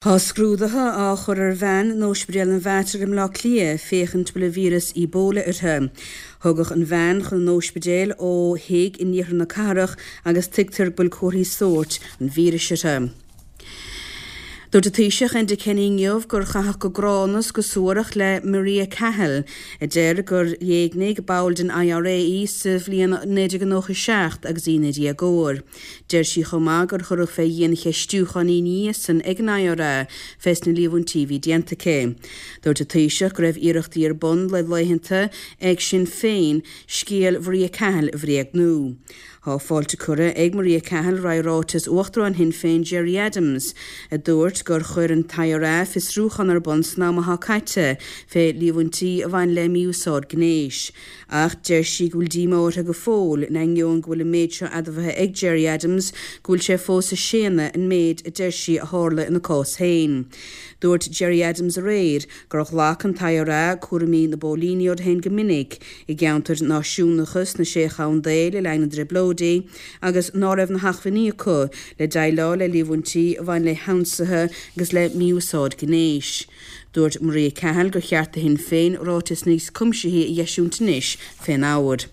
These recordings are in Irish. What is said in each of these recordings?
Tá scrúduithe á chur ar bhean in Ospidéal an Mhater i mBleá Cliath féachaint bhfuil an víreas Ebola uirthi. Tugadh an bhean chun an óispidéil ó thigh in iarthar na cathrach agus tuigtear go bhfuil comharthaí sóirt an víris uirthi. Dúirt an Taoiseach Enda Kenny inniu gur caitheadh go gránna is go suarach le Maria Cahill, a deir gur éignigh ball den IRA í sa bhliain 1997 agus í ina déagóir. Deir sí chomh maith gur cuireadh fé dhiancheistiúchán í ina dhiaidh san ag an IRA fés na líomhaintí a bhí déanta aici. Dúirt an Taoiseach go raibh iarrachtaí ar bun le laethanta ag Sinn Féin scéal Mharia Cahill a bhréagnú. Tá fáilte curtha ag Maria Cahill roimh ráiteas Uachtarán Shinn Féin Gerry Adams, a dúirt gur chuir an t-IRA fiosrúchán ar bun san am atá caite fé líomhaintí a bhain le mí-úsáid gnéis. Ach deir sí go bhfuil díomá uirthi go fóill, in ainneoin go bhfuil an méid seo admhaithe ag Gerry Adams, go bhfuil sé fós ag séanadh an méid a deir sí a tharla ina cás féin. Dúirt Gerry Adams aréir gur ghlac an t-IRA cúraimí na bpóilíní orthu féin go minic i gceantair náisiúnacha sna Sé Chontae le linn na dTrioblóidí agus ná raibh na hacmhainní acu le déileáil le líomhaintí a bhain le hionsaithe agus le mí-úsáid gnéis. Dúirt Maria Cahill gur cheart do Shinn Féin ráiteas níos cuimsithí a dh'eisiúint anois fén ábhar.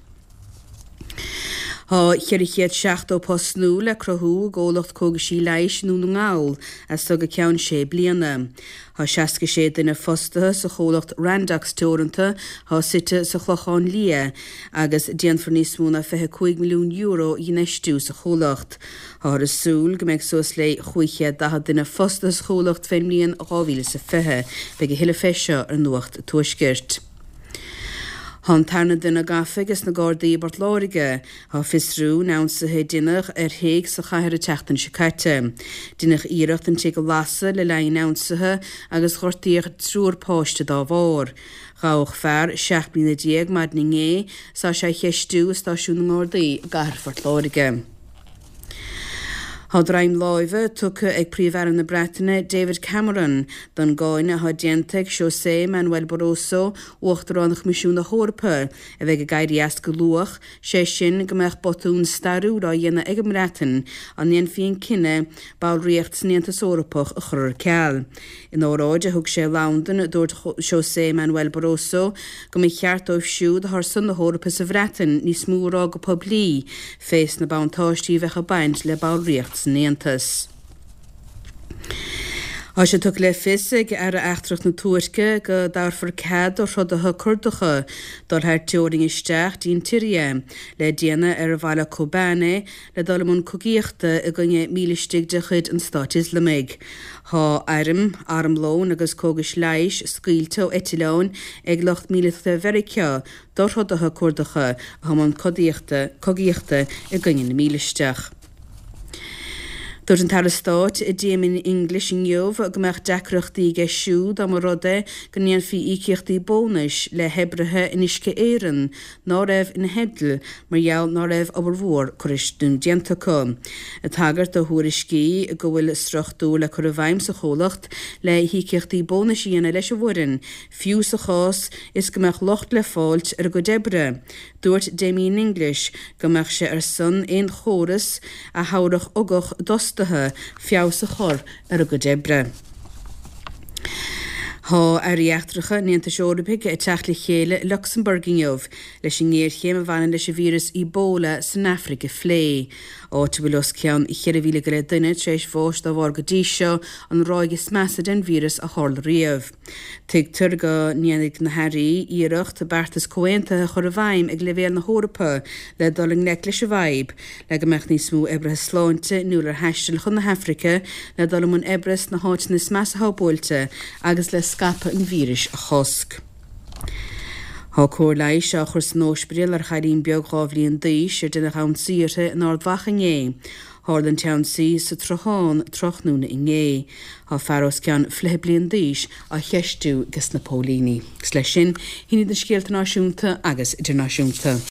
Tá 470 post nua le cruthú i gcomhlacht cógaisí leighis i nDún na nGall as so go ceann sé bliana. Tá 66 duine fostaithe sa chomhlacht Randox Teoranta atá suite sa Chlochán Liath agus déanfar níos mó ná €25 milliún a dh'infheistiú sa chomhlacht. Táthar ag súil go mbeidh suas le 540 duine fostaithe sa chomhlacht fén mbliain 2020. Beidh a thuilleadh fé seo ar Nuacht an Tuaiscirt. Tá an tarna duine gafa ages na Gardaí i bPort Láirge. Á fiosrú in ionsaithe a deineadh ar thigh sa chathair an tseachtain seo caite. Deineadh iarracht an tigh a lasadh le linn an ionsaithe agus gortaíodh triúr páiste dá bharr. Gabhadh fear 17 mbliana maidin inné 's tá sé á cheistiú i stáisiún na nGardaí i gcathair Phort Láirge. Tá droim láimhe tugtha ag Príomh-Aire na Breataine David Cameron don gcáineadh atá déanta ag Xosé Manuel Barroso, Uachtarán Choimisiún na hEorpa, a bheidh ag éirí as go luath, sé sin go mbeadh botún stairiúil á dhéanamh ag an mBreatain dá ndéanfaí an cinneadh ballraíocht san Aontas Eorpach a chur ar ceal. In óráid a thug sé i Londain, dúirt Xosé Manuel Barroso go mba cheart dóibh siúd atá ar son na hEorpa sa Bhreatain níos mó a rá go poiblí fés na buntáistí a bheadh ag baint le ballraíocht san Aontas. Tá sé tugtha le fios ag Aire Eachtrach na Tuirce go dtabharfar cead do throdaithe Curdacha dul thar teorainn isteach dtí an tSiria le déanamh ar bhaile Kobane le dul i mbun cogaíochta i gcoinne mílistigh de chuid an Stáit Ioslamaigh. Tá airm, armlón agus cógais leighis scaoilte ó eitleáin ag lucht míleata Mheiriceá do throdaithe Curdacha atá i mbun cogaíochta i gcoinne na mílisteach. Dúirt an tAire Stáit Damien English inniu go mbeadh deacrachtaí aige siúd dá mba rud é go ndéanfaí íocaíochtaí bónais le hoibrithe in Uisce Éireann ná raibh ina theideal mar gheall ná raibh obair mhór curtha nó déanta acu. Ag tagairt do thuairiscí go bhfuil struchtúr le cur i bhfeidhm sa chomhlacht le híocaíochtaí bónais a dhéanamh leis an bhfoireann, fiú sa chás is go mbeadh locht le fáilt ar a gcuid oibre, dúirt Damien English go mbeadh sé ar son aon chóras a thabharfadh ugach d'fhostaithe feabhas a chur ar a gcuid oibre. Tá Airí Eachtracha an Aontais Eorpaigh ag teacht le chéile i Lucsamburg inniu leis an ngéarchéim a bhaineann leis an víreas Ebola san Afraic a phlé, áit a bhfuil os cionn 4,000 go leith duine tar éis bháis dá bharr go dtí seo, an ráig is measa den víreas a tharla riamh. Tuigtear go ndéanfaidh na hairí iarracht beartas comhaontaithe a chur i bhfeidhm ag leibhéal na hEorpa le dul i ngleic leis an bhfadhb, le go mbeadh níos mó oibrithe sláinte inniúil ar thaisteal chun na hAfraice le dul i mbun oibre sna háiteanna is measa atá buailte agus le scaipeadh an víris a chosc. Tá cóir leighis á chur san óispidéal ar chailín beag 2 bhliain d'aois ar deineadh ionsaí uirthi in Ard Mhacha inné. Tharla an t-ionsaí sa tSruthán tráthnóna inné. Tá fear os cionn fliche bliain d'aois á cheistiú ages na póilíní. Agus leis sin, sin iad na scéalta náisiúnta agus idirnáisiúnta.